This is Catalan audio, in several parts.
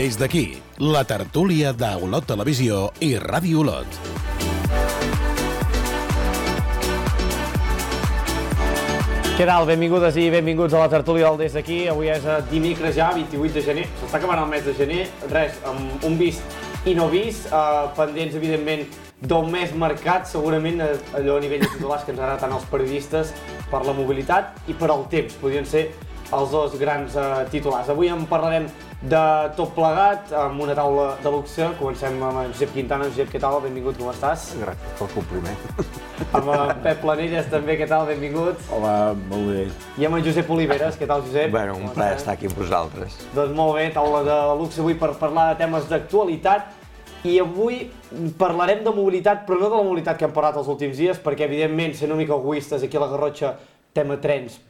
Des d'aquí, la tertúlia d'Olot Televisió i Ràdio Olot. Què tal? Benvingudes i benvinguts a la tertúlia del Des d'aquí. Avui és dimecres ja, 28 de gener. S'està acabant el mes de gener. Res, amb un vist i no vist. Pendents, evidentment, d'un mes marcat, segurament allò a nivell de titulars que ens agraden tant els periodistes per la mobilitat i per al temps. Podrien ser els dos grans titulars. Avui en parlarem de tot plegat, amb una taula de luxe. Comencem amb en Josep Quintana. Josep, què tal? Benvingut, com estàs? Gràcies pel compliment. Amb en Pep Planelles també, què tal? Benvingut. Hola, molt bé. I amb en Josep Oliveres, què tal, Josep? Bueno, un plaer estar aquí amb vosaltres. Doncs molt bé, taula de luxe avui per parlar de temes d'actualitat. I avui parlarem de mobilitat, però no de la mobilitat que hem parlat els últims dies, perquè, evidentment, sent una mica egoistes, aquí a la Garrotxa, tema trens,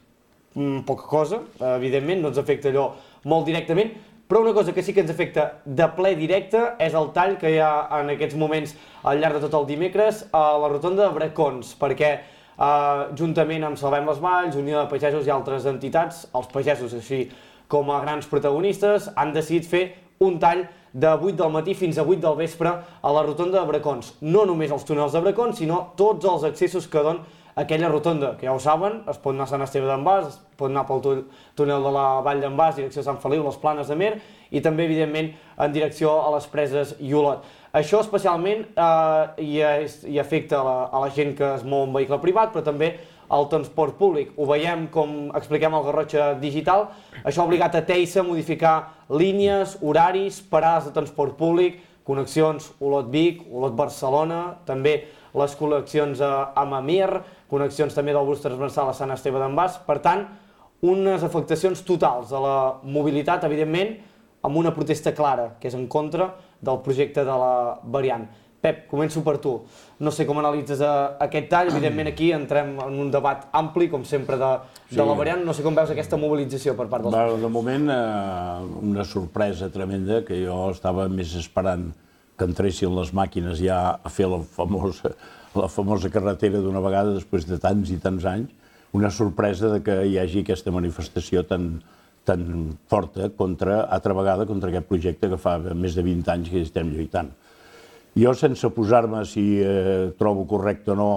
poca cosa, evidentment, no ens afecta allò molt directament, però una cosa que sí que ens afecta de ple directe és el tall que hi ha en aquests moments al llarg de tot el dimecres a la rotonda de Bracons, perquè juntament amb Salvem les Valls, Unió de Pagesos i altres entitats, els pagesos així com a grans protagonistes, han decidit fer un tall de 8 del matí fins a 8 del vespre a la rotonda de Bracons. No només els túnels de Bracons, sinó tots els accessos que donen aquella rotonda, que ja ho saben, es pot anar a Sant Esteve d'en Bas, es pot anar pel túnel de la Vall d'en Bas, direcció a Sant Feliu, les Planes de Mer, i també, evidentment, en direcció a les Preses i Olot. Això especialment hi afecta a la gent que es mou en vehicle privat, però també al transport públic. Ho veiem, com expliquem al Garrotxa Digital, això ha obligat a Teisa a modificar línies, horaris, parades de transport públic, connexions Olot-Vic, Olot-Barcelona, també les connexions a Mamir, connexions també del bus transversal a Sant Esteve d'en Bas. Per tant, unes afectacions totals a la mobilitat, evidentment, amb una protesta clara, que és en contra del projecte de la variant. Pep, començo per tu. No sé com analitzes aquest tall, evidentment aquí entrem en un debat ampli, com sempre, de la variant. No sé com veus aquesta mobilització per part dels... De moment, una sorpresa tremenda, que jo estava més esperant que entressin les màquines ja a fer la famosa carretera d'una vegada després de tants i tants anys. Una sorpresa de que hi hagi aquesta manifestació tan forta altra vegada contra aquest projecte que fa més de 20 anys que estem lluitant. Jo, sense posar-me si trobo correcte o no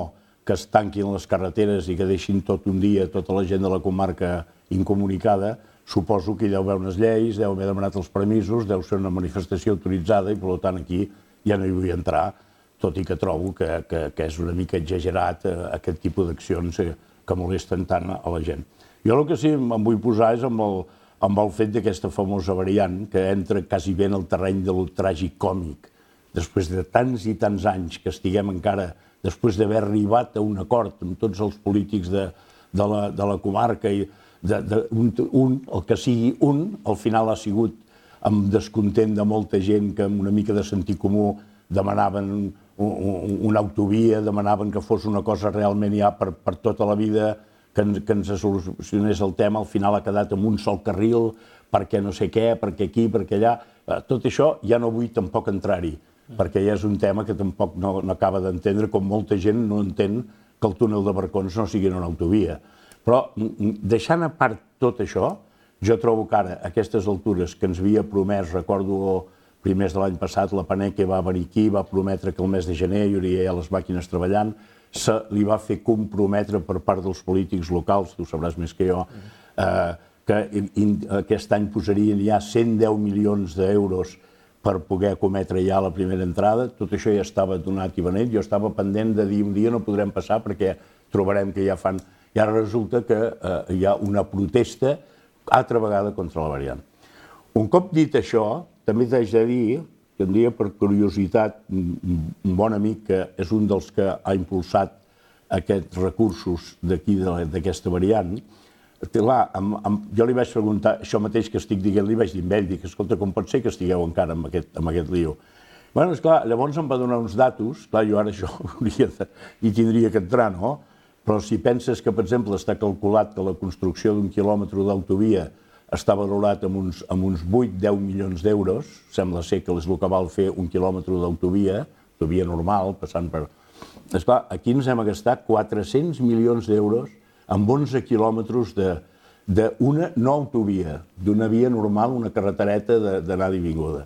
que es tanquin les carreteres i que deixin tot un dia tota la gent de la comarca incomunicada, suposo que hi deu haver unes lleis, deu haver demanat els permisos, deu ser una manifestació autoritzada i, per tant, aquí ja no hi vull entrar, tot i que trobo que és una mica exagerat aquest tipus d'accions que molesten tant a la gent. Jo el que sí em vull posar és amb el fet d'aquesta famosa variant que entra quasi bé en el terreny de lo tràgic còmic. Després de tants i tants anys que estiguem encara, després d'haver arribat a un acord amb tots els polítics de la comarca i el que sigui un, al final ha sigut amb descontent de molta gent que amb una mica de sentit comú demanaven una autovia, demanaven que fos una cosa realment ja per tota la vida, que ens solucionés el tema, al final ha quedat amb un sol carril, perquè no sé què, perquè aquí, perquè allà. Tot això ja no vull tampoc entrar-hi, perquè ja és un tema que tampoc no acaba d'entendre, com molta gent no entén que el túnel de Bracons no sigui una autovia. Però, deixant a part tot això, jo trobo que ara, a aquestes altures que ens havia promès, recordo primers de l'any passat, la Paneque va venir aquí, va prometre que el mes de gener hi hauria ja les màquines treballant, se li va fer comprometre per part dels polítics locals, tu sabràs més que jo, que aquest any posarien ja 110 milions d'euros per poder cometre ja la primera entrada. Tot això ja estava donat i beneit. Jo estava pendent de dir un dia no podrem passar perquè trobarem que ja fan... I ara resulta que hi ha una protesta altra vegada contra la variant. Un cop dit això, també t'haig de dir que un dia, per curiositat, un bon amic que és un dels que ha impulsat aquests recursos d'aquí, d'aquesta variant, jo li vaig preguntar això mateix que estic dient, li vaig dir amb ell, dic, escolta, com pot ser que estigueu encara amb aquest lío? Bé, esclar, llavors em va donar uns datos, clar, jo ara això hi tindria que entrar, no? Però si penses que, per exemple, està calculat que la construcció d'un quilòmetre d'autovia està valorat amb uns 8-10 milions d'euros, sembla ser que és el que val fer un quilòmetre d'autovia, autovia normal, passant per... Esclar, aquí ens hem gastat 400 milions d'euros amb 11 quilòmetres d'una no autovia, d'una via normal, una carretereta d'anada i vinguda.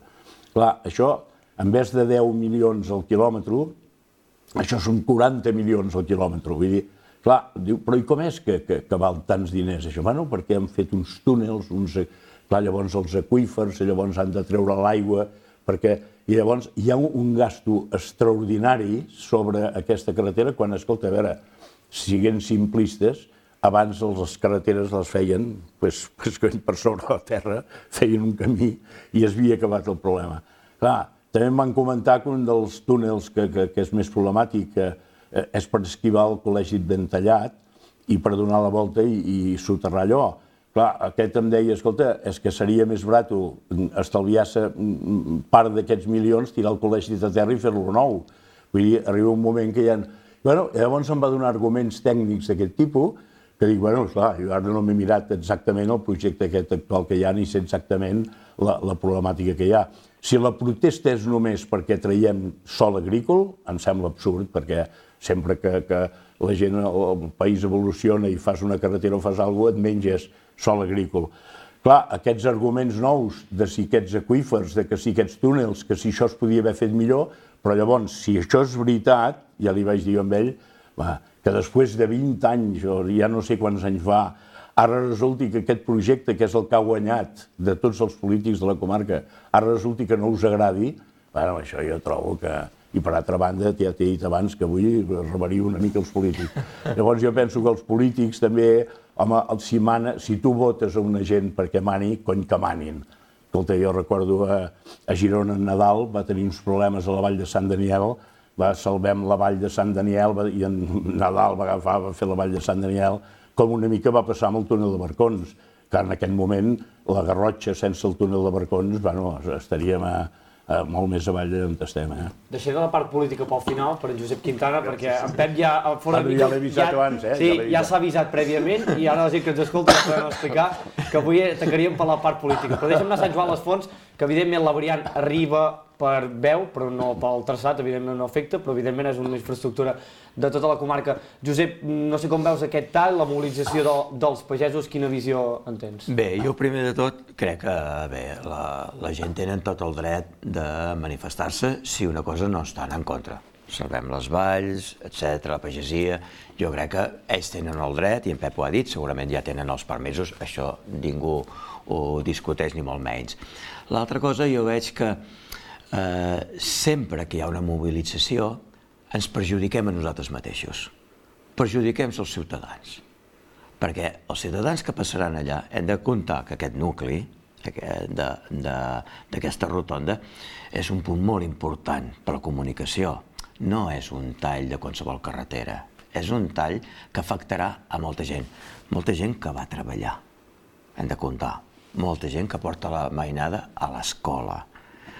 Clar, això, en vez de 10 milions al quilòmetre, això són 40 milions al quilòmetre. Vull dir, clar, diu, però i com és que val tants diners això? Bueno, perquè han fet uns túnels, clar, llavors els aqüífers, llavors han de treure l'aigua, i llavors hi ha un gasto extraordinari sobre aquesta carretera quan, escolta, a veure, siguent simplistes, abans les carreteres les feien per sobre la terra, feien un camí i es havia acabat el problema. Clar, també em van comentar que un dels túnels que és més problemàtic és per esquivar el Col·legi Ben Tallat i per donar la volta i soterrar allò. Clar, aquest em deia, escolta, és que seria més barat estalviar-se part d'aquests milions, tirar el col·legi de terra i fer-lo nou. Vull dir, arriba un moment que hi ha... Bueno, llavors em va donar arguments tècnics d'aquest tipus, que dic, bueno, clar, jo ara no m'he mirat exactament el projecte aquest actual que hi ha, ni sé exactament la problemàtica que hi ha. Si la protesta és només perquè traiem sòl agrícola, em sembla absurd, perquè sempre que la gent, el país evoluciona i fas una carretera o fas alguna cosa, et menges sòl agrícola. Clar, aquests arguments nous de si aquests aqüífers, de que si aquests túnels, que si això es podia haver fet millor, però llavors, si això és veritat, ja li vaig dir amb ell, que després de 20 anys, o ja no sé quants anys va, ara resulti que aquest projecte, que és el que ha guanyat de tots els polítics de la comarca, ara resulti que no us agradi, bueno, això jo trobo que... I per altra banda, ja t'he dit abans que avui rebaria una mica els polítics. Llavors jo penso que els polítics també, home, si tu votes a una gent perquè mani, cony que manin. Escolta, jo recordo a Girona en Nadal, va tenir uns problemes a la vall de Sant Daniel, salvem la vall de Sant Daniel i en Nadal va fer la vall de Sant Daniel, com una mica va passar amb el túnel de Barcons, que en aquest moment la Garrotxa sense el túnel de Barcons, bueno, estaríem molt més avall d'on estem. Deixaré la part política pel final, per en Josep Quintana, perquè en Pep ja... Ja l'he avisat abans, Sí, ja s'ha avisat prèviament i ara la gent que ens escolta ens podem explicar que avui atacaríem per la part política. Però deixa'm anar a Sant Joan les Fonts, que evidentment la variant arriba per veu, però no pel traçat, evidentment no afecta, però evidentment és una infraestructura de tota la comarca. Josep, no sé com veus aquest tall, la mobilització dels pagesos, quina visió en tens? Bé, jo primer de tot crec que la gent tenen tot el dret de manifestar-se si una cosa no estan en contra. Salvem les valls, etc., la pagesia, jo crec que ells tenen el dret, i en Pep ho ha dit, segurament ja tenen els permisos, això ningú ho discuteix ni molt menys. L'altra cosa, jo veig que sempre que hi ha una mobilització ens perjudiquem a nosaltres mateixos, perjudiquem els ciutadans, perquè els ciutadans que passaran allà hem de comptar que aquest nucli d'aquesta rotonda és un punt molt important per la comunicació, no és un tall de qualsevol carretera, és un tall que afectarà a molta gent que va treballar, hem de comptar, molta gent que porta la mainada a l'escola,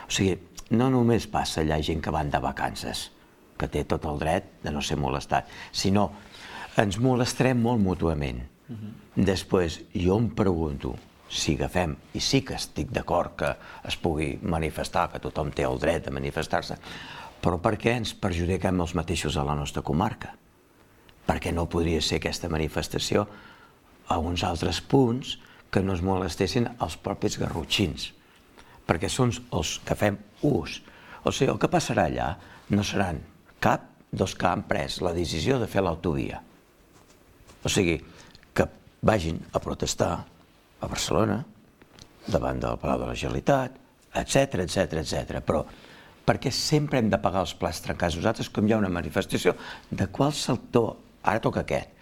o sigui, no només passa allà gent que van de vacances, que té tot el dret de no ser molestat, sinó ens molestarem molt mútuament. Després, jo em pregunto si agafem, i sí que estic d'acord que es pugui manifestar, que tothom té el dret de manifestar-se, però per què ens perjudiquem els mateixos a la nostra comarca? Perquè no podria ser aquesta manifestació a uns altres punts que no es molestessin els propis garrotxins, perquè són els que fem ús. O sigui, el que passarà allà no seran cap dels que han pres la decisió de fer l'autovia. O sigui, que vagin a protestar a Barcelona, davant del Palau de la Generalitat, etc. Però perquè sempre hem de pagar els plats trencats nosaltres, com hi ha una manifestació de qual sector, ara toca aquest,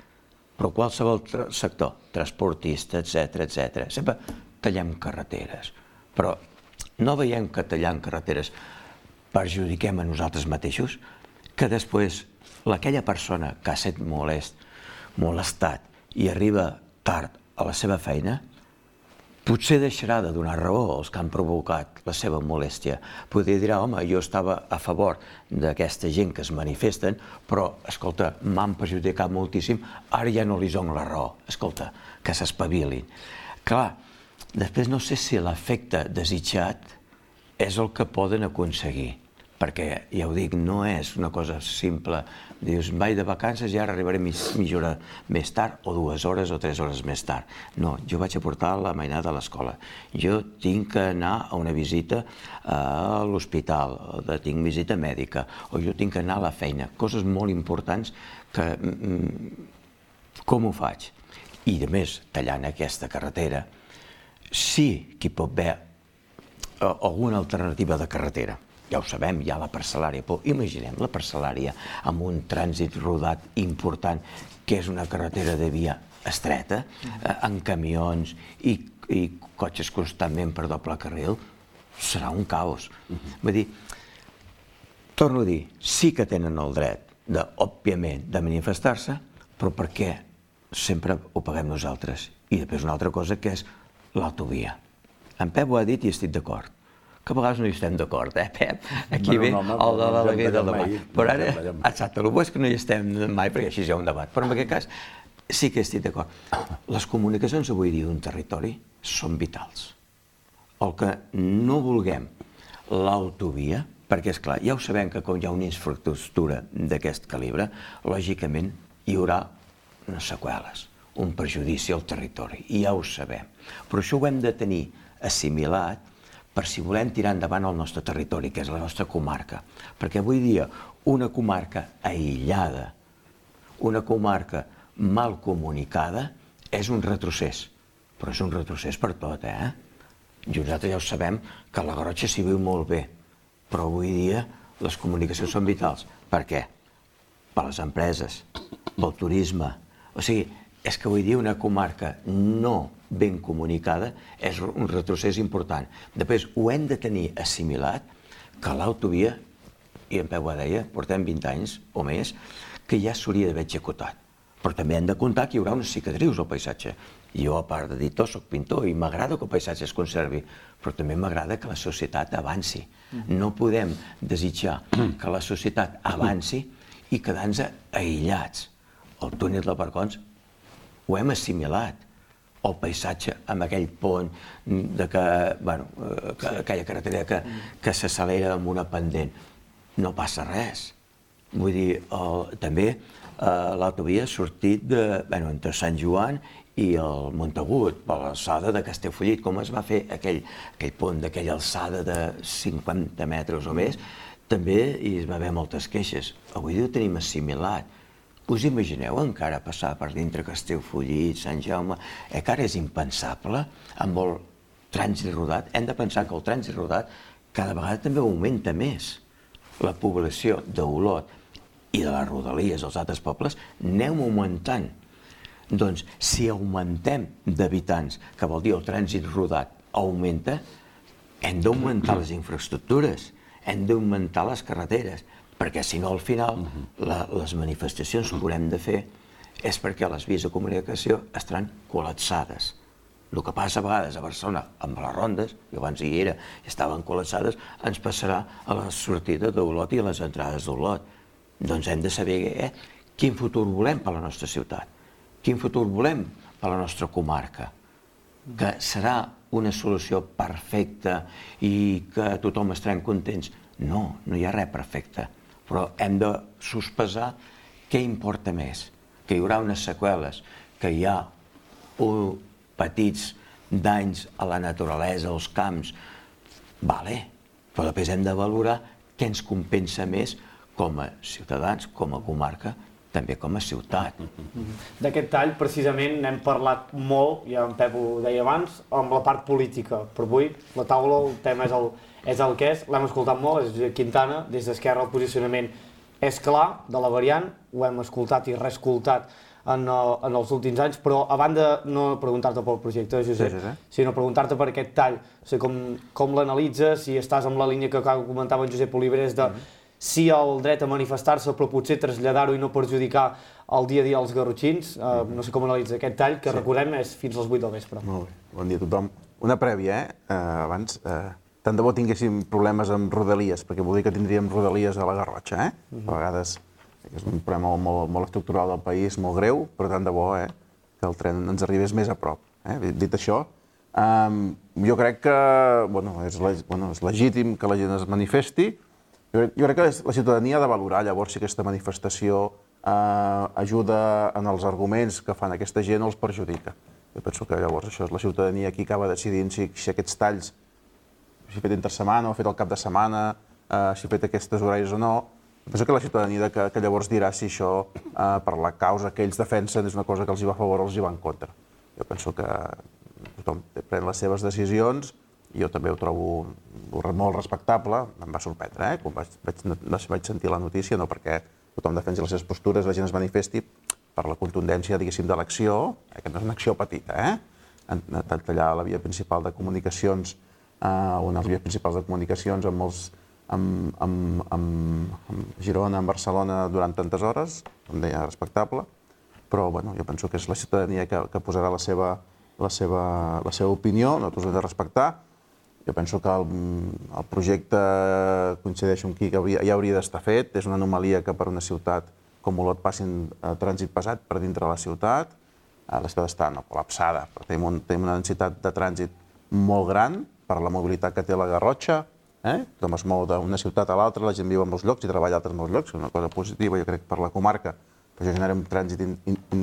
però qualsevol sector, transportista, etc. Sempre tallem carreteres, però no veiem que tallant carreteres perjudiquem a nosaltres mateixos, que després aquella persona que ha estat molestat i arriba tard a la seva feina, potser deixarà de donar raó als que han provocat la seva molèstia. Potser dirà, home, jo estava a favor d'aquesta gent que es manifesten, però, escolta, m'han perjudicat moltíssim, ara ja no li dono la raó. Escolta, que s'espavilin. Clar, després no sé si l'efecte desitjat és el que poden aconseguir, perquè, ja ho dic, no és una cosa simple. Dius, vaig de vacances i ara arribaré mitja hora més tard, o 2 hores o 3 hores més tard. No, jo vaig a portar la mainada a l'escola. Jo tinc que anar a una visita a l'hospital, tinc visita mèdica, o jo tinc que anar a la feina. Coses molt importants que... Com ho faig? I, a més, tallant aquesta carretera, sí que hi pot haver alguna alternativa de carretera. Ja ho sabem, hi ha la parcel·lària, però imaginem la parcel·lària amb un trànsit rodat important, que és una carretera de via estreta, amb camions i cotxes constantment per doble carril, serà un caos. Vull dir, torno a dir, sí que tenen el dret, òbviament, de manifestar-se, però per què sempre ho paguem nosaltres? I després una altra cosa, que és l'autovia. En Pep ho ha dit i estic d'acord. Que a vegades no hi estem d'acord, Pep? Aquí ve el de l'alegria del demà. Però ara, exacte, el bo és que no hi estem mai, perquè així hi ha un debat. Però en aquest cas sí que estic d'acord. Les comunicacions avui dia d'un territori són vitals. El que no vulguem l'autovia, perquè, esclar, ja ho sabem que com hi ha una infraestructura d'aquest calibre, lògicament hi haurà unes seqüeles, un perjudici al territori, i ja ho sabem. Però això ho hem de tenir assimilat per si volem tirar endavant el nostre territori, que és la nostra comarca. Perquè avui dia una comarca aïllada, una comarca mal comunicada, és un retrocés. Però és un retrocés per tot, I nosaltres ja ho sabem que a la Garrotxa s'hi viu molt bé, però avui dia les comunicacions són vitals. Per què? Per les empreses, pel turisme. O sigui, és que avui dia una comarca no ben comunicada és un retrocés important. Després, ho hem de tenir assimilat que l'autovia, i en Pep ho deia, portem 20 anys o més, que ja s'hauria d'haver executat. Però també hem de comptar que hi haurà unes cicatrius al paisatge. Jo, a part d'editor, soc pintor i m'agrada que el paisatge es conservi, però també m'agrada que la societat avanci. No podem desitjar que la societat avanci i quedar-nos aïllats. El túnel de Barcons ho hem assimilat. El paisatge amb aquell pont, aquella carretera que s'accelera amb una pendent. No passa res. Vull dir, també l'autovia ha sortit entre Sant Joan i el Montagut, per l'alçada de Castellfollit, com es va fer aquell pont d'aquella alçada de 50 metres o més, també hi va haver moltes queixes. Avui dia ho tenim assimilat. Us imagineu encara passar per dintre Castellfollit, Sant Jaume? Que ara és impensable amb el trànsit rodat. Hem de pensar que el trànsit rodat cada vegada també augmenta més. La població d'Olot i de les rodalies dels altres pobles anem augmentant. Doncs si augmentem d'habitants, que vol dir el trànsit rodat augmenta, hem d'augmentar les infraestructures, hem d'augmentar les carreteres, perquè si no al final les manifestacions que haurem de fer és perquè les vies de comunicació estaran col·lapsades. El que passa a vegades a Barcelona amb les rondes, que abans hi era, estaven col·lapsades, ens passarà a la sortida d'Olot i a les entrades d'Olot. Doncs hem de saber quin futur volem per a la nostra ciutat, quin futur volem per a la nostra comarca, que serà una solució perfecta i que tothom estarem contents. No, no hi ha res perfecte, però hem de sospesar què importa més, que hi haurà unes seqüeles, que hi ha petits danys a la naturalesa, als camps, però després hem de valorar què ens compensa més com a ciutadans, com a comarca, també com a ciutat. D'aquest tall, precisament, n'hem parlat molt, ja en Pep ho deia abans, amb la part política. Per avui, la taula, el tema és el que és, l'hem escoltat molt, és Josep Quintana, des d'Esquerra el posicionament és clar, de la variant, ho hem escoltat i reescoltat en els últims anys, però a banda no preguntar-te pel projecte, Josep, sinó preguntar-te per aquest tall, o sigui, com l'analitzes, si estàs amb la línia que comentava en Josep Oliveres de sí al dret a manifestar-se, però potser traslladar-ho i no perjudicar el dia a dia als garrotxins. No sé com analitza aquest tall, que recordem és fins als 8 del vespre. Molt bé, bon dia a tothom. Una prèvia, abans, tant de bo tinguéssim problemes amb rodalies, perquè vol dir que tindríem rodalies a la Garrotxa, A vegades és un problema molt estructural del país, molt greu, però tant de bo que el tren ens arribés més a prop. Dit això, jo crec que és legítim que la gent es manifesti, Jo crec que la ciutadania ha de valorar llavors si aquesta manifestació ajuda en els arguments que fan aquesta gent o els perjudica. Jo penso que llavors això és la ciutadania qui acaba decidint si aquests talls s'ha fet entre setmana o ha fet el cap de setmana, si ha fet aquestes horaris o no. Penso que la ciutadania que llavors dirà si això, per la causa que ells defensen, és una cosa que els hi va a favor o els hi va en contra. Jo penso que tothom pren les seves decisions i jo també ho trobo molt respectable. Em va sorprendre, quan vaig sentir la notícia, no perquè tothom defensi les seves postures, la gent es manifesti per la contundència, diguéssim, de l'acció, que no és una acció petita, tallar la via principal de comunicacions, una de les vies principals de comunicacions amb Girona, amb Barcelona, durant tantes hores, com deia, respectable, però jo penso que és la ciutadania que posarà la seva opinió, nosaltres ho hem de respectar. Jo penso que el projecte, coincideixo amb qui, ja hauria d'estar fet. És una anomalia que per una ciutat com Olot passin trànsit pesat per dintre de la ciutat. La ciutat està col·lapsada, però tenim una densitat de trànsit molt gran per la mobilitat que té la Garrotxa. Tothom es mou d'una ciutat a l'altra, la gent viu en molts llocs i treballa a altres molts llocs, és una cosa positiva, jo crec, per la comarca, que això genera un trànsit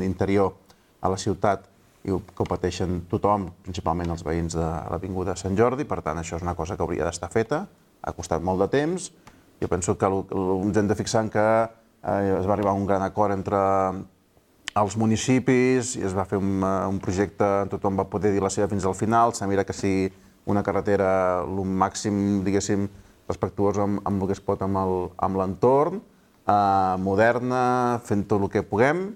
interior a la ciutat i que ho pateixen tothom, principalment els veïns de l'Avinguda Sant Jordi. Per tant, això és una cosa que hauria d'estar feta, ha costat molt de temps. Jo penso que ens hem de fixar en que es va arribar a un gran acord entre els municipis i es va fer un projecte, tothom va poder dir la seva fins al final, s'ha mirat que sigui una carretera el màxim, diguéssim, respectuosa amb el que es pot amb l'entorn, moderna, fent tot el que puguem.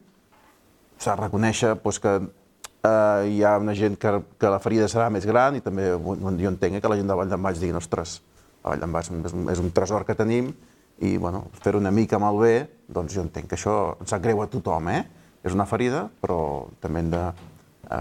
S'ha de reconèixer que hi ha una gent que la ferida serà més gran i també jo entenc que la gent de Vall d'en Baix digui ostres, la Vall d'en Baix és un tresor que tenim i fer-ho una mica malbé, doncs jo entenc que això ens sap greu a tothom, és una ferida, però també hem de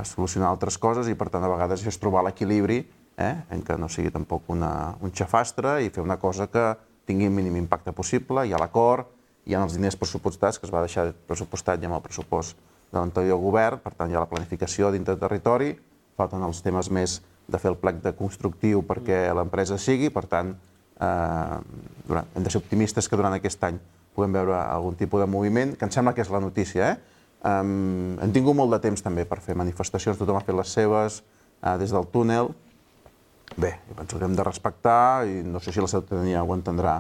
solucionar altres coses i per tant a vegades és trobar l'equilibri en què no sigui tampoc un xafastre i fer una cosa que tingui el mínim impacte possible. Hi ha l'acord, hi ha els diners pressupostats que es va deixar pressupostat ja amb el pressupost de l'anterior govern, per tant hi ha la planificació dintre del territori, falten els temes més de fer el plec de constructiu perquè l'empresa sigui, per tant hem de ser optimistes que durant aquest any puguem veure algun tipus de moviment, que em sembla que és la notícia. Hem tingut molt de temps també per fer manifestacions, tothom ha fet les seves des del túnel. Bé, jo penso que hem de respectar i no sé si la ciutadania ho entendrà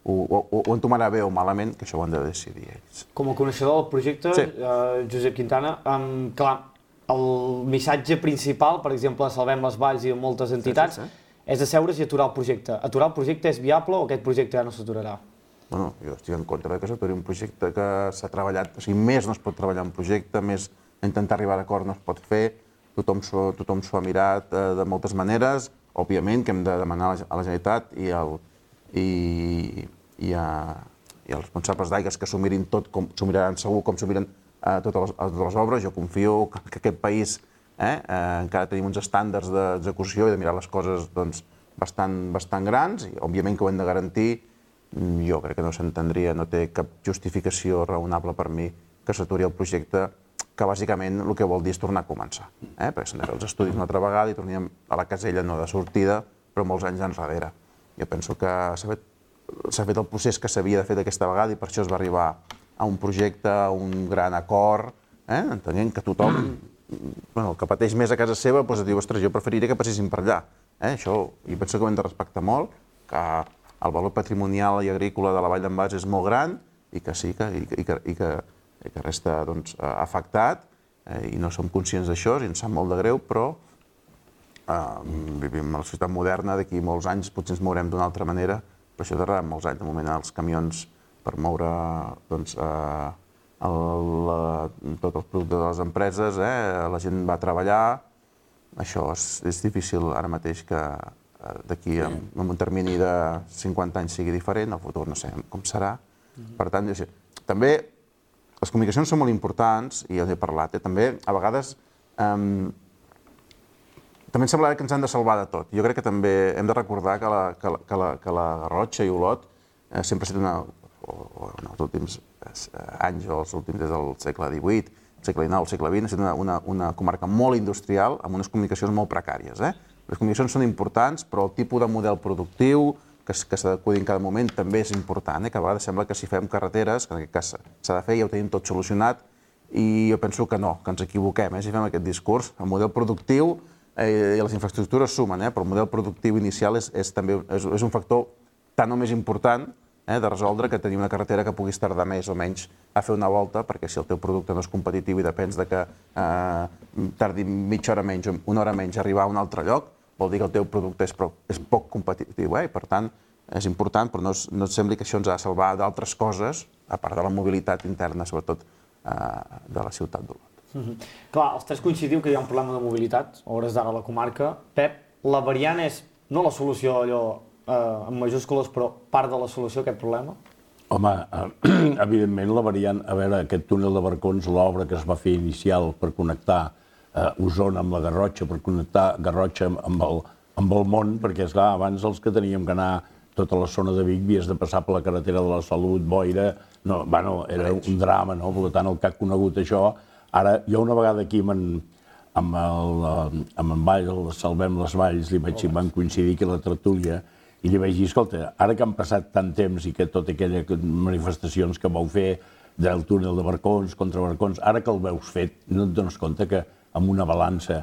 o entomarà bé o malament, que això ho han de decidir ells. Com a coneixedor del projecte, Josep Quintana, clar, el missatge principal, per exemple, a Salvem les Valls i moltes entitats, és asseure's i aturar el projecte. Aturar el projecte és viable o aquest projecte ja no s'aturarà? Bueno, jo estic en contra que s'aturi un projecte que s'ha treballat, o sigui, més no es pot treballar un projecte, més intentar arribar a l'acord no es pot fer, tothom s'ho ha mirat de moltes maneres, òbviament que hem de demanar a la Generalitat i els responsables d'aigües que s'ho mirin tot, s'ho miraran segur com s'ho miren totes les obres. Jo confio que aquest país encara tenim uns estàndards d'execució i de mirar les coses bastant grans i òbviament que ho hem de garantir. Jo crec que no s'entendria, no té cap justificació raonable per mi que s'aturi el projecte, que bàsicament el que vol dir és tornar a començar, perquè s'han de fer els estudis una altra vegada i tornem a la casella no de sortida, però molts anys enrere. Jo penso que s'ha fet el procés que s'havia de fer d'aquesta vegada i per això es va arribar a un projecte, a un gran acord, entenent que tothom, el que pateix més a casa seva, diu, ostres, jo preferiria que passessin per allà. Això, jo penso que ho hem de respectar molt, que el valor patrimonial i agrícola de la Vall d'en Baix és molt gran i que sí, que resta afectat i no som conscients d'això i ens sap molt de greu, però vivim en la societat moderna, d'aquí molts anys potser ens mourem d'una altra manera, però això tardarà molts anys. De moment els camions per moure tots els productes de les empreses, la gent va treballar, això és difícil ara mateix que d'aquí en un termini de 50 anys sigui diferent, el futur no sé com serà. Per tant, també les comunicacions són molt importants, i ja n'he parlat, també a vegades també em sembla que ens han de salvar de tot. Jo crec que també hem de recordar que la Garrotxa i Olot sempre ha estat en els últims anys, o els últims des del segle XVIII, segle XIX, segle XX, ha estat una comarca molt industrial amb unes comunicacions molt precàries. Les comunicacions són importants, però el tipus de model productiu, que s'adequi en cada moment també és important, que a vegades sembla que si fem carreteres, que en aquest cas s'ha de fer, ja ho tenim tot solucionat, i jo penso que no, que ens equivoquem, si fem aquest discurs. El model productiu i les infraestructures sumen, però el model productiu inicial és un factor tan o més important de resoldre que tenir una carretera que puguis tardar més o menys a fer una volta, perquè si el teu producte no és competitiu i depens de que tardi mitja hora menys o una hora menys a arribar a un altre lloc, vol dir que el teu producte és poc competitiu, i per tant és important, però no et sembli que això ens ha de salvar d'altres coses, a part de la mobilitat interna, sobretot de la ciutat d'Olot. Clar, els tres coincidiu que hi ha un problema de mobilitat, a hores d'ara a la comarca. Pep, la variant és no la solució allò en majúscules, però part de la solució a aquest problema? Home, evidentment la variant, a veure, aquest túnel de Barcons, l'obra que es va fer inicial per connectar Osona amb la Garrotxa, per connectar Garrotxa amb el món, perquè, esclar, abans els que teníem que anar tota la zona de Vic havies de passar per la carretera de la Salut, Boira, era un drama, no? Per tant, el que ha conegut això, ara, jo una vegada aquí amb en Vall, el Salvem les Valls, vam coincidir aquí a la tertúlia, i li vaig dir, escolta, ara que han passat tant temps i que totes aquelles manifestacions que vau fer del túnel de Barcons contra Barcons, ara que el veus fet, no et dones compte que amb una balança,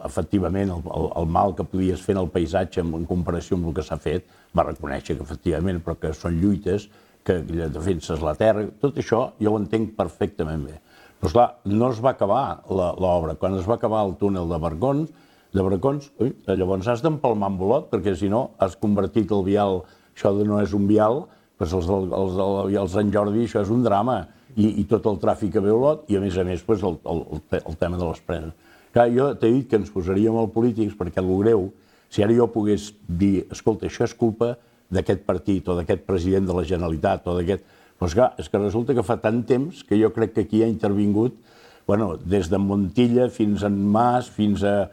efectivament, el mal que podies fer en el paisatge en comparació amb el que s'ha fet, va reconèixer que efectivament, però que són lluites, que defenses la terra, tot això jo ho entenc perfectament bé. Però, esclar, no es va acabar l'obra. Quan es va acabar el túnel de Barcons, llavors has d'empalmar amb Olot, perquè si no has convertit el vial, això no és un vial, doncs els Sant Jordi això és un drama, i tot el tràfic que ve a Olot, i a més el tema de les preses. Clar, jo t'he dit que ens posaríem als polítics, perquè el greu, si ara jo pogués dir, escolta, això és culpa d'aquest partit, o d'aquest president de la Generalitat, o d'aquest... Doncs clar, és que resulta que fa tant temps que jo crec que aquí ha intervingut, des de Montilla fins a Mas, fins a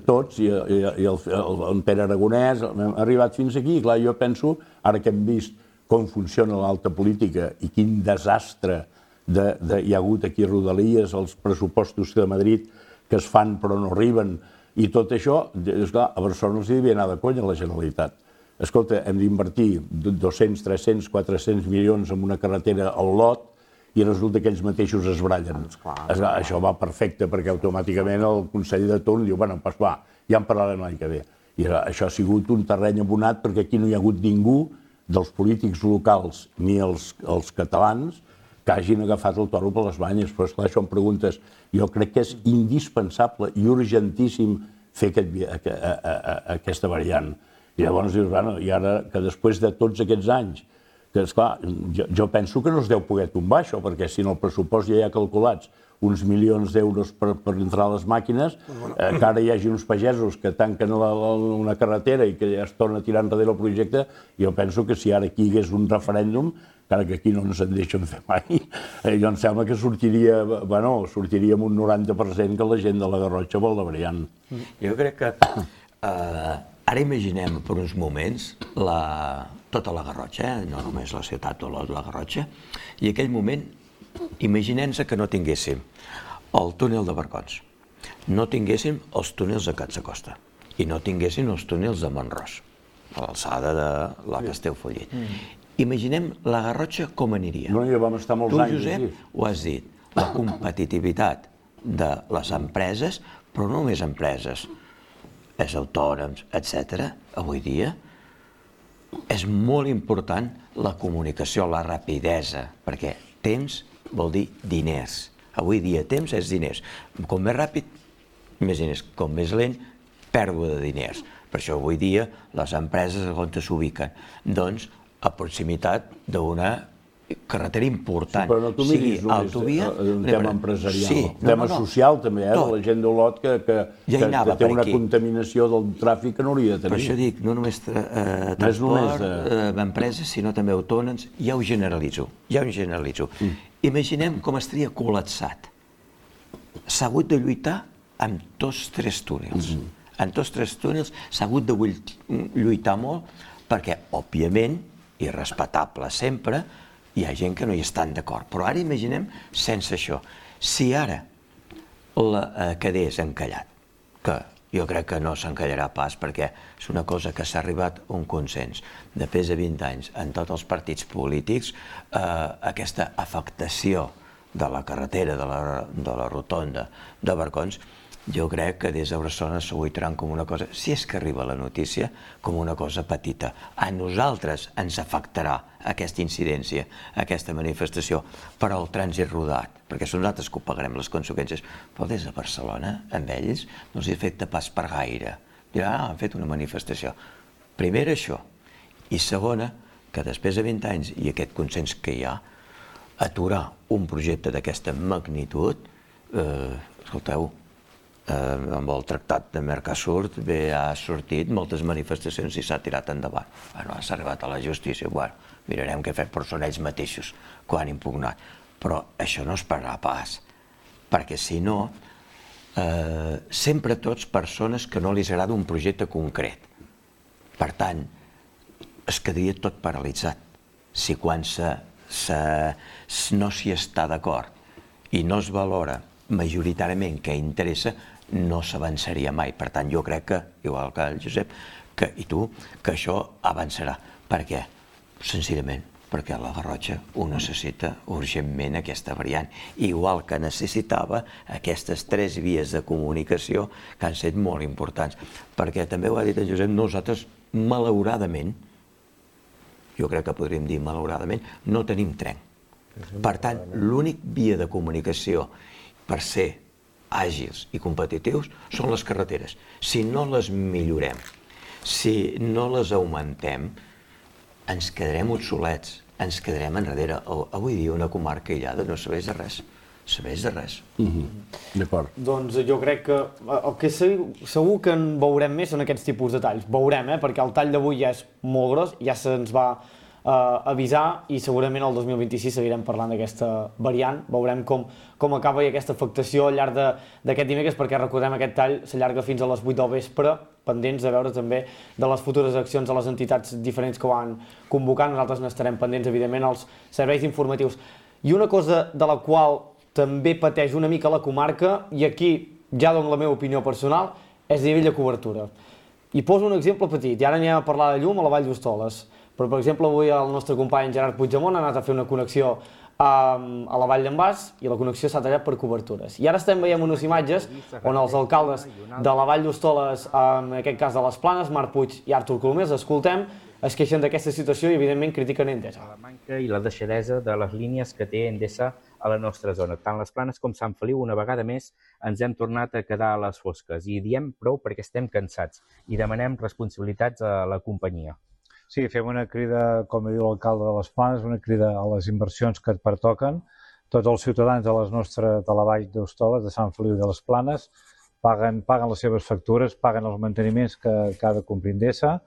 tots, i el Pere Aragonès, hem arribat fins aquí. Clar, jo penso, ara que hem vist com funciona l'alta política i quin desastre hi ha hagut aquí a Rodalies, els pressupostos de Madrid que es fan però no arriben, i tot això, esclar, a Barcelona els devia anar de conya a la Generalitat. Escolta, hem d'invertir 200, 300, 400 milions en una carretera a Olot i resulta que ells mateixos es brallen. Això va perfecte, perquè automàticament el Consell de Torn diu, bueno, doncs va, ja en parlarem l'any que ve. I això ha sigut un terreny abonat perquè aquí no hi ha hagut ningú dels polítics locals ni els catalans que hagin agafat el toro per les banyes. Però, esclar, això em preguntes, jo crec que és indispensable i urgentíssim fer aquesta variant. I llavors dius, bueno, i ara que després de tots aquests anys, que esclar, jo penso que no es deu poder tombar això, perquè si en el pressupost ja hi ha calculats uns milions d'euros per entrar a les màquines, que ara hi hagi uns pagesos que tanquen una carretera i que ja es torna a tirar enrere el projecte, jo penso que si ara aquí hi hagués un referèndum, encara que aquí no ens en deixen fer mai, jo em sembla que sortiria amb un 90% que la gent de la Garrotxa vol la variant. Jo crec que ara imaginem per uns moments tota la Garrotxa, no només la ciutat d'Olot, la Garrotxa, i aquell moment imaginem-se que no tinguéssim el túnel de Barcons, no tinguéssim els túnels de Catsacosta i no tinguéssim els túnels de Mont-ros, a l'alçada de la Castellfollit. Imaginem la Garrotxa com aniria. No, ja vam estar molts anys. Tu, Josep, ho has dit, la competitivitat de les empreses, però no només empreses, els autònoms, etc. Avui dia és molt important la comunicació, la rapidesa, perquè temps vol dir diners. Avui dia temps és diners. Com més ràpid, més diners. Com més lent, pèrdua de diners. Per això avui dia les empreses on s'ubiquen? Doncs a proximitat d'una carretera important. Però no t'ho miris només un tema empresarial. Un tema social també, de la gent d'Olot que té una contaminació del tràfic que no hauria de tenir. Per això dic, no només transport, empreses, sinó també autònoms. Ja ho generalitzo. Imaginem com estaria col·lapsat. S'ha hagut de lluitar amb tots tres túnels. En tots tres túnels s'ha hagut de lluitar molt perquè, òbviament, i respectable sempre, hi ha gent que no hi estan d'acord. Però ara imaginem sense això. Si ara quedés encallat, que jo crec que no s'encallarà pas, perquè és una cosa que s'ha arribat a un consens de més de 20 anys en tots els partits polítics, aquesta afectació de la carretera, de la rotonda de Barcons, jo crec que des de Barcelona s'ho aguaitaran com una cosa, si és que arriba la notícia, com una cosa petita. A nosaltres ens afectarà aquesta incidència, aquesta manifestació, però el trànsit rodat, perquè són nosaltres que ho pagarem les conseqüències. Però des de Barcelona, amb ells, no els afecta pas per gaire. Diran, han fet una manifestació. Primera, això. I segona, que després de 20 anys i aquest consens que hi ha, aturar un projecte d'aquesta magnitud, escolteu, amb el tractat de Mercosur ha sortit moltes manifestacions i s'ha tirat endavant. Bueno, s'ha arribat a la justícia, bueno, mirarem què fer, però són ells mateixos que ho han impugnat. Però això no es pararà pas, perquè si no, sempre tots persones que no li agrada un projecte concret. Per tant, es quedaria tot paralitzat. Si quan no s'hi està d'acord i no es valora majoritàriament què interessa, no s'avançaria mai. Per tant, jo crec que, igual que el Josep i tu, que això avançarà. Per què? Senzillament perquè la Garrotxa ho necessita urgentment, aquesta variant, igual que necessitava aquestes 3 vies de comunicació que han estat molt importants. Perquè també ho ha dit el Josep, nosaltres, malauradament, jo crec que podríem dir malauradament, no tenim tren. Per tant, l'únic via de comunicació per ser àgils i competitius són les carreteres. Si no les millorem, si no les augmentem, ens quedarem obsolets, ens quedarem enrere. Avui dia una comarca aïllada no serveix de res. Serveix de res. D'acord. Doncs jo crec que el que segur que en veurem més són aquests tipus de talls. Veurem, perquè el tall d'avui ja és molt gros, ja se'ns va avisar i segurament el 2026 seguirem parlant d'aquesta variant. Veurem com acaba i aquesta afectació al llarg d'aquest dimecres, perquè recordem aquest tall s'allarga fins a les 8 del vespre, pendents de veure també de les futures accions de les entitats diferents que ho van convocar. Nosaltres n'estarem pendents, evidentment, als serveis informatius. I una cosa de la qual també pateix una mica la comarca, i aquí ja dono la meva opinió personal, és a nivell de cobertura. I poso un exemple petit, i ara anem a parlar de llum a la Vall d'Hostoles. Però, per exemple, avui el nostre company Gerard Puigdemont ha anat a fer una connexió a la Vall d'en Bas i la connexió s'ha tallat per cobertures. I ara estem veient unes imatges on els alcaldes de la Vall d'Hostoles, en aquest cas de les Planes, Marc Puig i Artur Colomers, escoltem, es queixen d'aquesta situació i, evidentment, critiquen Endesa. La manca i la deixadesa de les línies que té Endesa a la nostra zona. Tant les Planes com Sant Feliu, una vegada més, ens hem tornat a quedar a les fosques. I diem prou perquè estem cansats i demanem responsabilitats a la companyia. Sí, fem una crida, com diu l'alcalde de les Planes, una crida a les inversions que et pertoquen. Tots els ciutadans de la Vall d'Hostoles, de Sant Feliu i de les Planes, paguen les seves factures, paguen els manteniments que ha de complir Endesa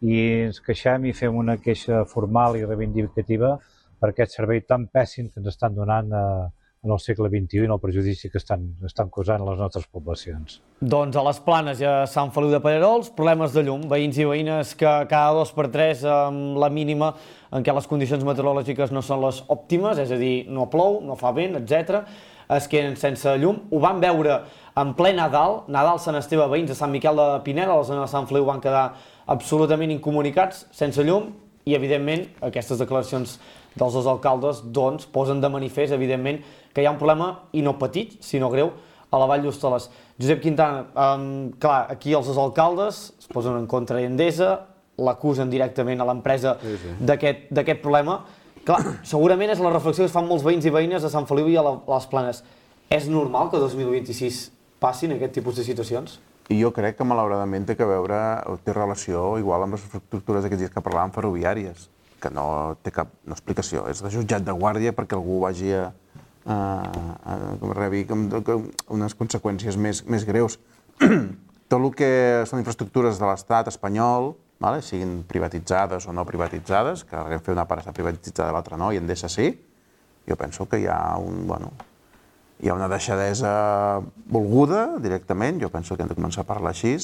i ens queixem i fem una queixa formal i reivindicativa per aquest servei tan pèssim que ens estan donant en el segle XXI i en el perjudici que estan causant a les nostres poblacions. Doncs a les Planes i a Sant Feliu de Pallerols, problemes de llum. Veïns i veïnes que cada 2 per 3, amb la mínima en què les condicions meteorològiques no són les òptimes, és a dir, no plou, no fa vent, etc., es queden sense llum. Ho van veure en ple Nadal, Sant Esteve, veïns de Sant Miquel de Pineda, a la zona de Sant Feliu, van quedar absolutament incomunicats, sense llum, i, evidentment, aquestes declaracions dels 2 alcaldes doncs, posen de manifest, evidentment, que hi ha un problema, i no petit, sinó greu, a la Vall d'Hostoles. Josep Quintana, clar, aquí els 2 alcaldes es posen en contra d'Endesa, l'acusen directament a l'empresa d'aquest problema. Clar, segurament és la reflexió que es fan molts veïns i veïnes a Sant Feliu i a les Planes. És normal que el 2026 passin aquest tipus de situacions? I jo crec que, malauradament, té relació igual amb les infraestructures d'aquests dies que parlàvem ferroviàries, que no té cap explicació. És de jutjat de guàrdia perquè algú vagi rebi unes conseqüències més greus. Tot el que són infraestructures de l'estat espanyol, siguin privatitzades o no privatitzades, que Renfe una part està privatitzada i l'altra no, i Endesa sí, jo penso que hi ha una deixadesa volguda directament, jo penso que hem de començar a parlar així,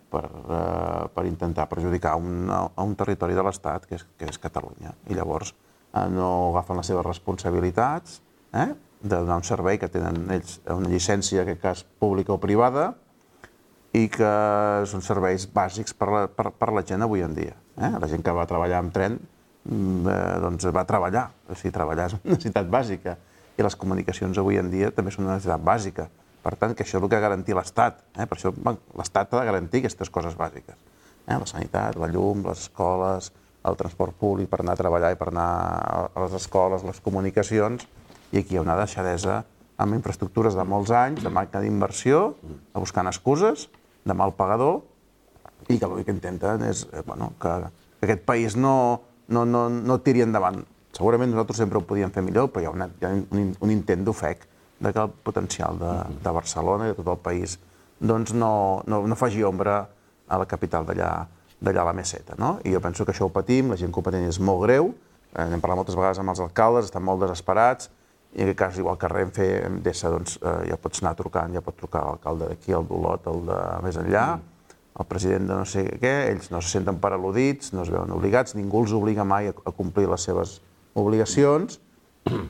per intentar perjudicar un territori de l'Estat, que és Catalunya. I llavors no agafen les seves responsabilitats de donar un servei que tenen ells, una llicència, en aquest cas pública o privada, i que són serveis bàsics per la gent avui en dia. La gent que va treballar amb tren doncs va treballar, o sigui, treballar és una necessitat bàsica i les comunicacions avui en dia també són una necessitat bàsica. Per tant, que això és el que ha de garantir l'Estat. Per això l'Estat ha de garantir aquestes coses bàsiques. La sanitat, la llum, les escoles, el transport públic per anar a treballar i per anar a les escoles, les comunicacions, i aquí hi ha una deixadesa amb infraestructures de molts anys, de manca d'inversió, buscant excuses, de mal pagador, i que l'únic que intenten és que aquest país no tiri endavant. Segurament nosaltres sempre ho podíem fer millor, però hi ha un intent d'ofec que el potencial de Barcelona i de tot el país no faci ombra a la capital d'allà a la Meseta. I jo penso que això ho patim, la gent que ho pateix és molt greu, hem parlat moltes vegades amb els alcaldes, estan molt desesperats, i en aquest cas, igual que Renfe, Endesa, ja pots anar trucant, ja pot trucar l'alcalde d'aquí, el d'Olot, el de més enllà, el president de no sé què, ells no se senten per al·ludits, no es veuen obligats, ningú els obliga mai a complir les seves obligacions,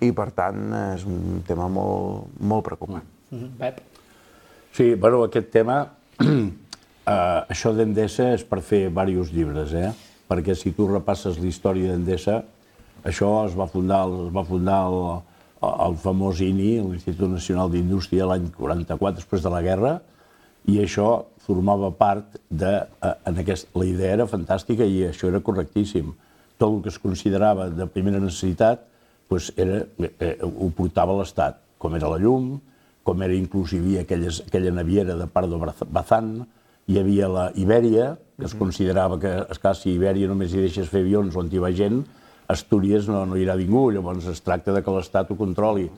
i per tant és un tema molt preocupant. Pep? Sí, bueno, aquest tema, això d'Endesa és per fer diversos llibres, perquè si tu repasses la història d'Endesa, això es va fundar el famós INI, l'Institut Nacional d'Indústria, l'any 44, després de la guerra, i això formava part de... La idea era fantàstica i això era correctíssim. Tot el que es considerava de primera necessitat ho portava l'Estat, com era la llum, com era inclús hi havia aquella naviera de Pardo Bazán, hi havia la Ibèria, que es considerava que, esclar, si Ibèria només hi deixes fer avions on hi va gent, Astúries no hi irà ningú, llavors es tracta que l'Estat ho controli.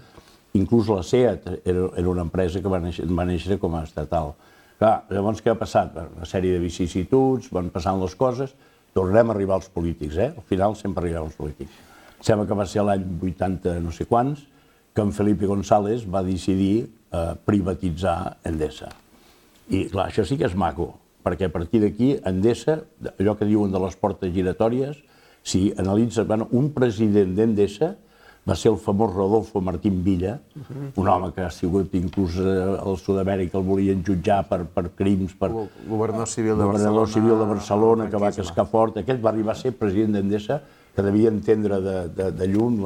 Inclús la SEAT era una empresa que va néixer com a estatal. Clar, llavors què ha passat? Una sèrie de vicissituds, van passant les coses, tornem a arribar als polítics, Al final sempre arribem als polítics. Sembla que va ser l'any 80 no sé quants que en Felipe González va decidir privatitzar Endesa. I clar, això sí que és maco, perquè a partir d'aquí Endesa, allò que diuen de les portes giratòries, si analitza, un president d'Endesa va ser el famós Rodolfo Martín Villa, un home que ha sigut inclús al Sud-amèrica, el volien jutjar per crims, per governador civil de Barcelona, que va cascar fort. Aquest va arribar a ser president d'Endesa, que devia entendre de llum,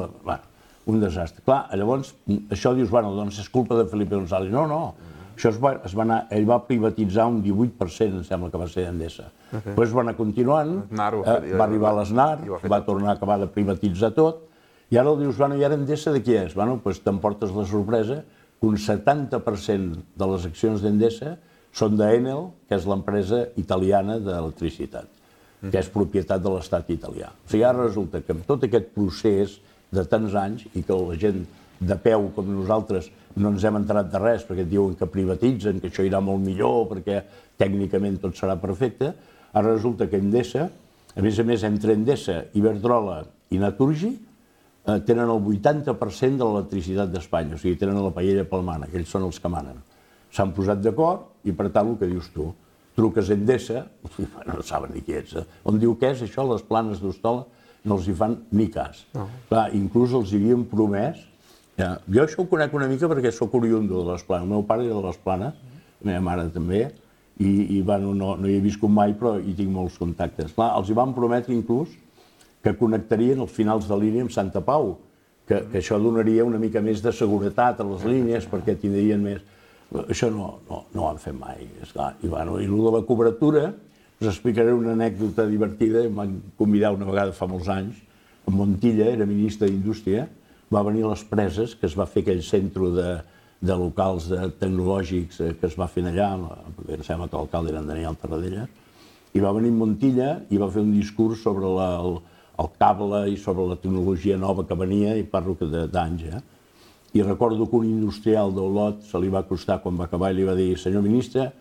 un desastre. Clar, llavors, això dius, doncs és culpa de Felipe González. No. Això ell va privatitzar un 18%, em sembla que va ser d'Endesa. Després va anar continuant, va arribar a l'Aznar, va tornar a acabar de privatitzar tot, i ara dius, i ara Endesa de qui és? Doncs t'emportes la sorpresa que un 70% de les accions d'Endesa són d'Enel, que és l'empresa italiana d'electricitat, que és propietat de l'estat italià. O sigui, ara resulta que amb tot aquest procés de tants anys i que la gent de peu com nosaltres no ens hem enterat de res perquè diuen que privatitzen, que això irà molt millor, perquè tècnicament tot serà perfecte. Ara resulta que Endesa, a més, entre Endesa, Iberdrola i Naturgy, tenen el 80% de l'electricitat d'Espanya, o sigui, tenen la paella palmana, que ells són els que manen. S'han posat d'acord i, per tant, el que dius tu, truques a Endesa, no saben ni qui ets, on diu què és això, les planes d'Hostola, no els hi fan ni cas. Clar, inclús els havien promès. Jo això ho conec una mica perquè soc oriundo de les Planes. El meu pare era de les Planes, la meva mare també, i no hi he viscut mai, però hi tinc molts contactes. Clar, els hi van prometre inclús que connectarien els finals de línia amb Santa Pau, que això donaria una mica més de seguretat a les línies perquè tindrien més... Això no ho han fet mai, esclar. I el de la cobertura, us explicaré una anècdota divertida. Em van convidar una vegada fa molts anys, en Montilla, era ministre d'Indústria, va venir a les Preses, que es va fer aquell centre de locals tecnològics que es va fer allà, perquè em sembla que l'alcalde era en Daniel Tarradellas, i va venir a Montilla i va fer un discurs sobre el cable i sobre la tecnologia nova que venia, i parlo d'anys. I recordo que un industrial d'Olot se li va acostar quan va acabar i li va dir: senyor ministre,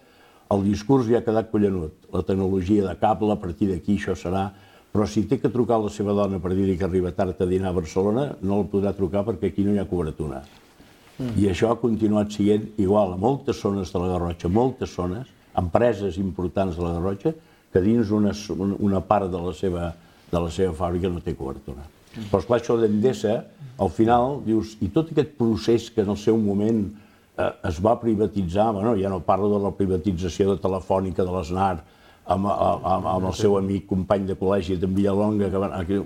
el discurs ja ha quedat collanut, la tecnologia de cable, a partir d'aquí això serà... Però si té que trucar a la seva dona per dir-li que arriba tard a dinar a Barcelona, no el podrà trucar perquè aquí no hi ha cobertura. I això ha continuat sent igual a moltes zones de la Garrotxa, moltes zones, empreses importants de la Garrotxa, que dins una part de la seva fàbrica no té cobertura. Però esclar, això d'Endesa, al final dius, i tot aquest procés que en el seu moment es va privatitzar, ja no parlo de la privatització de Telefònica, de l'Snar, amb el seu amic company de col·legi d'en Villalonga,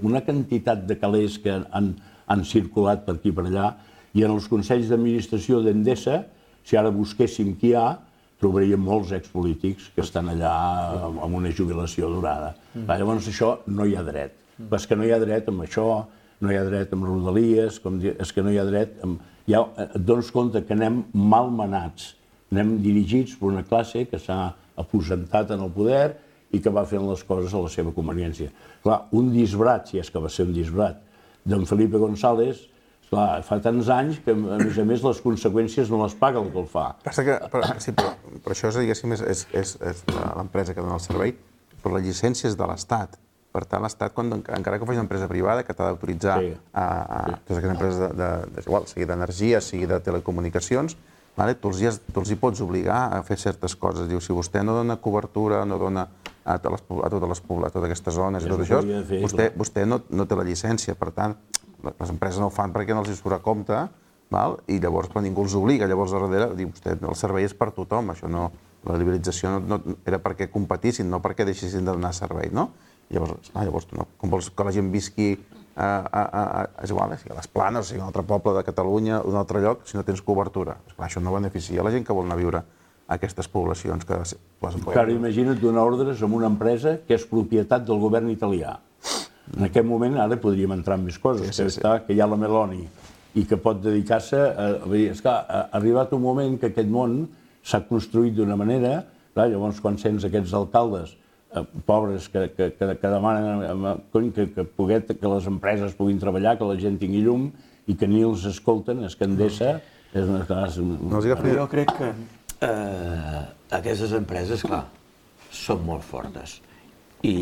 una quantitat de calés que han circulat per aquí i per allà, i en els consells d'administració d'Endesa, si ara busquéssim qui hi ha, trobaríem molts expolítics que estan allà amb una jubilació durada. Llavors això no hi ha dret. És que no hi ha dret amb això, no hi ha dret amb Rodalies, és que no hi ha dret amb... Et dones compte que anem malmenats, anem dirigits per una classe que s'ha aposentat en el poder i que va fent les coses a la seva conveniència. Clar, un disbrat, si és que va ser un disbrat, d'en Felipe González, clar, fa tants anys que, a més, les conseqüències no les paga el que el fa. Sí, però això, diguéssim, és l'empresa que dona el servei, però les llicències de l'Estat. Per tant, l'Estat, encara que faci una empresa privada, que t'ha d'autoritzar totes aquestes empreses sigui d'energia, sigui de telecomunicacions, tu els hi pots obligar a fer certes coses. Diu, si vostè no dona cobertura, no dona a totes aquestes zones i tot això, vostè no té la llicència. Per tant, les empreses no ho fan perquè no els hi surt a compte, i llavors ningú els obliga. Llavors, darrere, diu, el servei és per tothom. La liberalització era perquè competissin, no perquè deixessin de donar servei, no? Llavors, com vols que la gent visqui és igual, si a les Planes, o sigui, un altre poble de Catalunya, un altre lloc, si no tens cobertura. Això no beneficia la gent que vol anar a viure a aquestes poblacions. Clar, imagina't donar ordres a una empresa que és propietat del govern italià. En aquest moment ara podríem entrar en més coses, que hi ha la Meloni i que pot dedicar-se a... És clar, ha arribat un moment que aquest món s'ha construït d'una manera, llavors quan sents aquests alcaldes pobres que demanen que les empreses puguin treballar, que la gent tingui llum i que ni els escolten, és que Endesa és una cosa... Jo crec que aquestes empreses, clar, són molt fortes i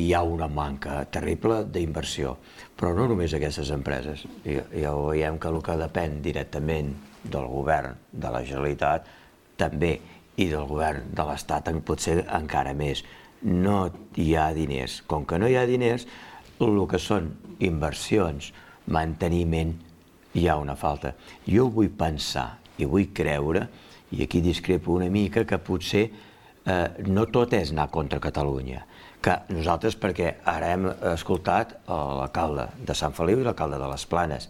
hi ha una manca terrible d'inversió, però no només aquestes empreses. Ja veiem que el que depèn directament del govern de la Generalitat també i del govern de l'Estat potser encara més. No hi ha diners. Com que no hi ha diners, el que són inversions, manteniment, hi ha una falta. Jo vull pensar i vull creure, i aquí discrepo una mica, que potser no tot és anar contra Catalunya. Que nosaltres, perquè ara hem escoltat l'alcalde de Sant Feliu i l'alcalde de les Planes,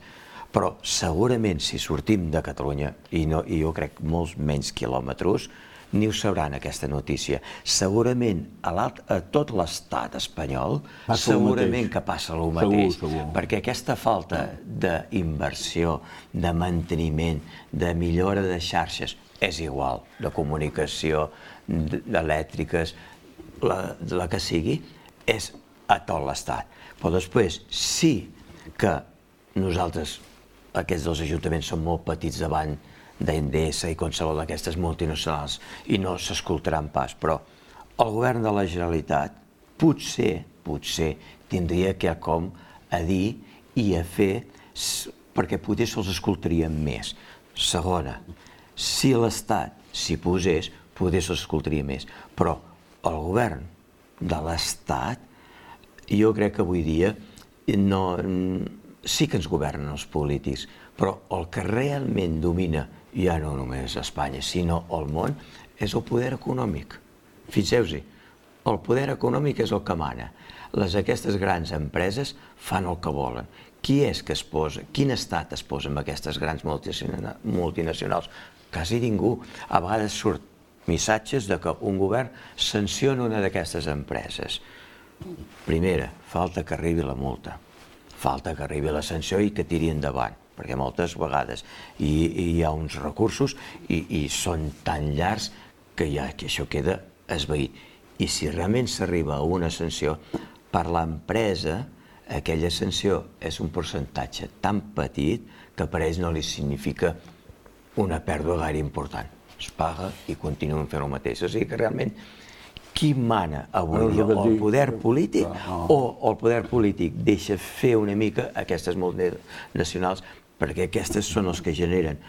però segurament si sortim de Catalunya, i jo crec molts menys quilòmetres, ni ho sabran, aquesta notícia. Segurament a tot l'estat espanyol segurament que passa el mateix, perquè aquesta falta d'inversió, de manteniment, de millora de xarxes, és igual, de comunicació, elèctriques, la que sigui, és a tot l'estat. Però després, sí que nosaltres, aquests dos ajuntaments, són molt petits davant d'Endesa i qualsevol d'aquestes multinacionals i no s'escoltaran pas, però el govern de la Generalitat potser tindria quelcom a dir i a fer perquè potser se'ls escoltaria més. Segona, si l'Estat s'hi posés, potser se'ls escoltaria més, però el govern de l'Estat, jo crec que avui dia sí que ens governen els polítics, però el que realment domina ja no només Espanya, sinó el món, és el poder econòmic. Fixeu-s'hi, el poder econòmic és el que mana. Aquestes grans empreses fan el que volen. Qui és que es posa, quin estat es posa amb aquestes grans multinacionals? Quasi ningú. A vegades surt missatges de que un govern sanciona una d'aquestes empreses. Primera, falta que arribi la multa. Falta que arribi la sanció i que tiri endavant, perquè moltes vegades hi ha uns recursos i són tan llargs que això queda esvaït. I si realment s'arriba a una sanció, per l'empresa aquella sanció és un percentatge tan petit que per ells no li significa una pèrdua gaire important. Es paga i continuen fent el mateix. O sigui que realment qui mana avui dia, el poder polític o el poder polític deixa fer una mica aquestes multinacionals, perquè aquestes són els que generen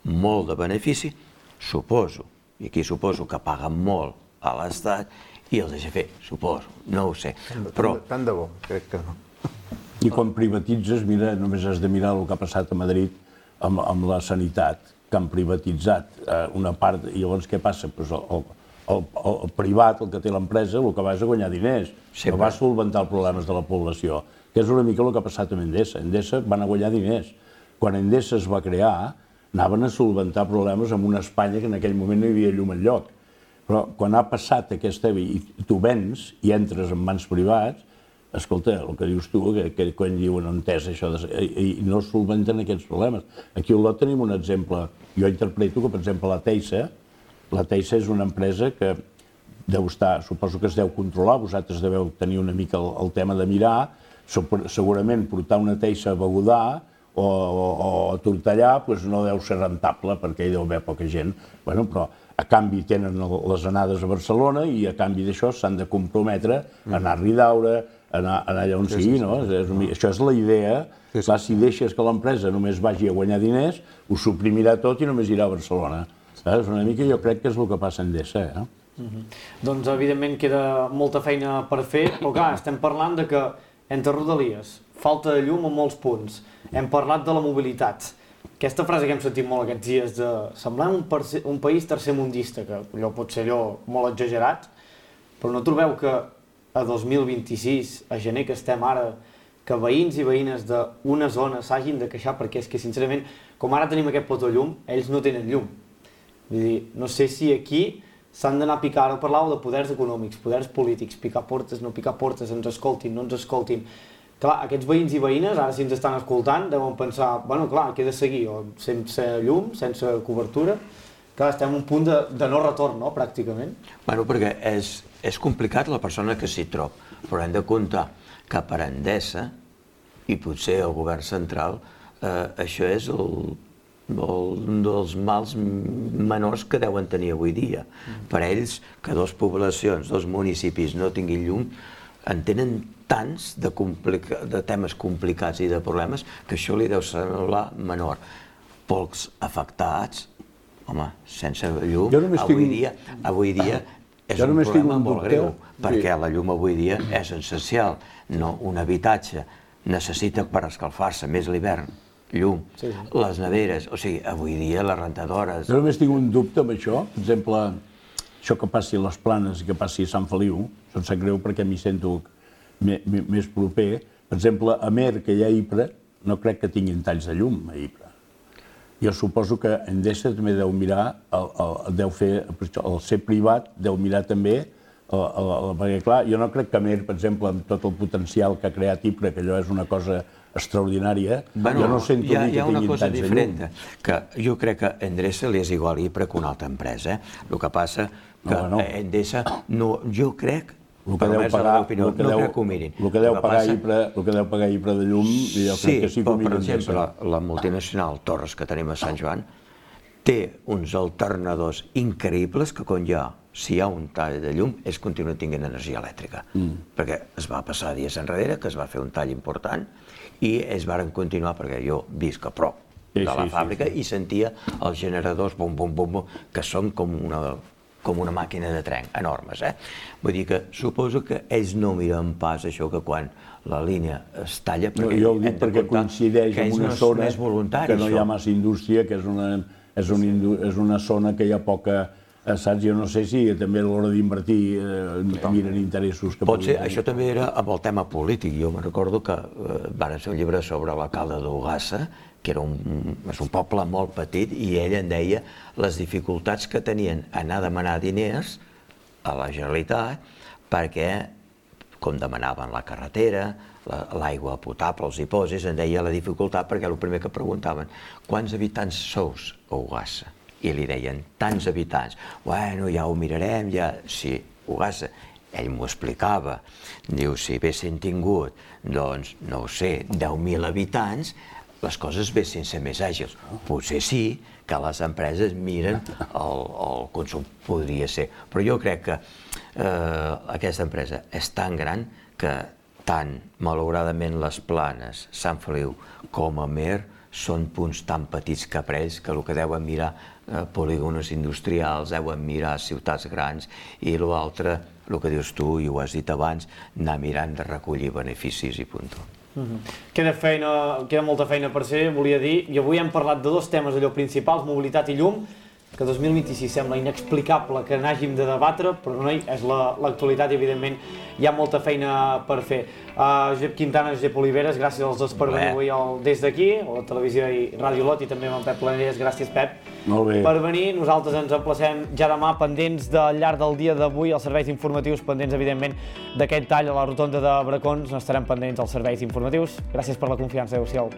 molt de benefici, suposo, i aquí suposo que paguen molt a l'Estat i els deixa fer, suposo, no ho sé, però... Tant de bo, crec que no. I quan privatitzes, mira, només has de mirar el que ha passat a Madrid amb la sanitat. que han privatitzat una part, i llavors què passa? El privat, el que té l'empresa, el que va és a guanyar diners, no va a solventar els problemes de la població, que és una mica el que ha passat amb Endesa. Endesa van a guanyar diners. Quan Endesa es va crear, anaven a solventar problemes en una Espanya que en aquell moment no hi havia llum enlloc. Però quan ha passat aquesta i tu vens i entres en mans privats, escolta, el que dius tu, que quan diuen entès això, i no solventen aquests problemes. Aquí a Olot tenim un exemple. Jo interpreto que, per exemple, la Teixa és una empresa que deu estar, suposo que es deu controlar, vosaltres deveu tenir una mica el tema de mirar, segurament portar una Teixa a Begudà o a Tortellà no deu ser rentable perquè hi deu haver poca gent, però a canvi tenen les anades a Barcelona i a canvi d'això s'han de comprometre a anar a Ridaura, a anar allà on sigui, no? Això és la idea. Clar, si deixes que l'empresa només vagi a guanyar diners, ho suprimirà tot i només irà a Barcelona. És una mica, jo crec que és el que passa a Endesa. Doncs, evidentment, queda molta feina per fer, però clar, estem parlant de que entre Rodalies falta de llum a molts punts. Hem parlat de la mobilitat. Aquesta frase que hem sentit molt aquests dies de semblar un país tercermundista, que allò pot ser molt exagerat, però no trobeu que a 2026, a gener que estem ara, que veïns i veïnes d'una zona s'hagin de queixar perquè és que, sincerament, com ara tenim aquest plató de llum, ells no tenen llum. Vull dir, no sé si aquí s'han d'anar a picar, ara parlàveu de poders econòmics, poders polítics, picar portes, no picar portes, ens escoltin, no ens escoltin. Clar, aquests veïns i veïnes, ara si ens estan escoltant, deuen pensar, bueno, clar, què he de seguir? Sense llum, sense cobertura? Clar, estem en un punt de no retorn, no?, pràcticament. Bueno, perquè és complicat la persona que s'hi trob, però hem de comptar que per Endesa, i potser el govern central, això és un dels mals menors que deuen tenir avui dia. Per ells, que dues poblacions, dos municipis no tinguin llum, en tenen tants de temes complicats i de problemes que això li deu semblar menor. Pocs afectats, home, sense llum, avui dia és un problema molt greu, perquè la llum avui dia és essencial. Un habitatge necessita per escalfar-se més l'hivern llum, les neveres, o sigui, avui dia les rentadores... Jo només tinc un dubte amb això, per exemple, això que passi a les Planes i que passi a Sant Feliu, em sap greu perquè m'hi sento més proper. Per exemple, a Mer, que hi ha Ypres, no crec que tinguin talls de llum a Ypres. Jo suposo que Endesa també deu mirar, deu fer, el ser privat, deu mirar també, perquè clar, jo no crec que Mer, per exemple, amb tot el potencial que ha creat Ypres, que allò és una cosa extraordinària, jo no sento dir que tinguin talls de llum. Hi ha una cosa diferent, que jo crec que a Endesa li és igual Ypres que una altra empresa. El que passa que Endesa, jo crec, per almenys la meva opinió, no crec que ho mirin. El que deu pagar Ypres de llum, jo crec que sí que ho miren. Sí, però per exemple, la multinacional Torres que tenim a Sant Joan té uns alternadors increïbles que si hi ha un tall de llum, ells continuen tinguent energia elèctrica. Perquè es va passar dies enrere, que es va fer un tall important, i ells varen continuar, perquè jo visc a prop de la fàbrica i sentia els generadors bum, bum, bum, que són com una màquina de tren, enormes. Vull dir que suposo que ells no miren pas això que quan la línia es talla, jo ho dic perquè coincideix amb una zona que no hi ha massa indústria, que és una zona que hi ha poca... Saps? Jo no sé si també a l'hora d'invertir miren interessos que pot ser, això també era amb el tema polític. Jo me'n recordo que van fer un llibre sobre l'alcalde d'Ogassa, que és un poble molt petit, i ell en deia les dificultats que tenien anar a demanar diners a la Generalitat perquè, com demanaven la carretera, l'aigua potable, els dipòsits, en deia la dificultat perquè el primer que preguntaven quants habitants sous a Ogassa? I li deien, tants habitants. Bueno, ja ho mirarem, ja... Sí, Ogassa, ell m'ho explicava. Diu, si haguessin tingut, doncs, no ho sé, 10.000 habitants, les coses haguessin ser més àgils. Potser sí que les empreses miren el consum, podria ser. Però jo crec que aquesta empresa és tan gran que tant, malauradament, les Planes, Sant Feliu com a Mer són punts tan petits que per ells que el que deuen mirar polígonos industrials, deuen mirar ciutats grans i l'altre, el que dius tu i ho has dit abans, anar mirant de recollir beneficis i punt. Queda molta feina per fer, volia dir, i avui hem parlat de dos temes allò principals, mobilitat i llum, que 2026 sembla inexplicable que n'hàgim de debatre, però no és l'actualitat i evidentment hi ha molta feina per fer. Josep Quintana, Josep Oliveres, gràcies als dos per venir avui des d'aquí, a la televisió i Ràdio Lot, i també amb en Pep Planelles. Gràcies, Pep, per venir. Nosaltres ens emplacem ja demà, pendents al llarg del dia d'avui, als serveis informatius, pendents, evidentment, d'aquest tall a la rotonda de Bracons. N'estarem pendents als serveis informatius. Gràcies per la confiança. Adéu-siau.